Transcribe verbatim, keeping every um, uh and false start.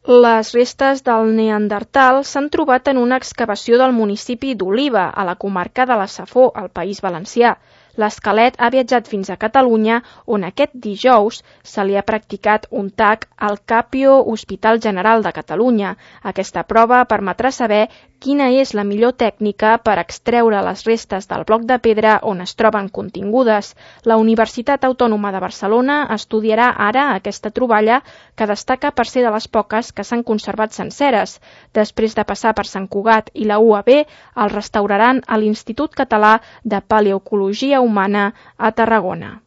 Les restes del neandertal s'han trobat en una excavació del municipi d'Oliva, a la comarca de la Safor, al País Valencià. L'esquelet ha viatjat fins a Catalunya, on aquest dijous se li ha practicat un tac al Capio Hospital General de Catalunya. Aquesta prova permetrà saber quina és la millor tècnica per extreure les restes del bloc de pedra on es troben contingudes. La Universitat Autònoma de Barcelona estudiarà ara aquesta troballa, que destaca per ser de les poques que s'han conservat senceres. Després de passar per Sant Cugat i la U A B, el restauraran a l'Institut Català de Paleoecologia Humana a Tarragona.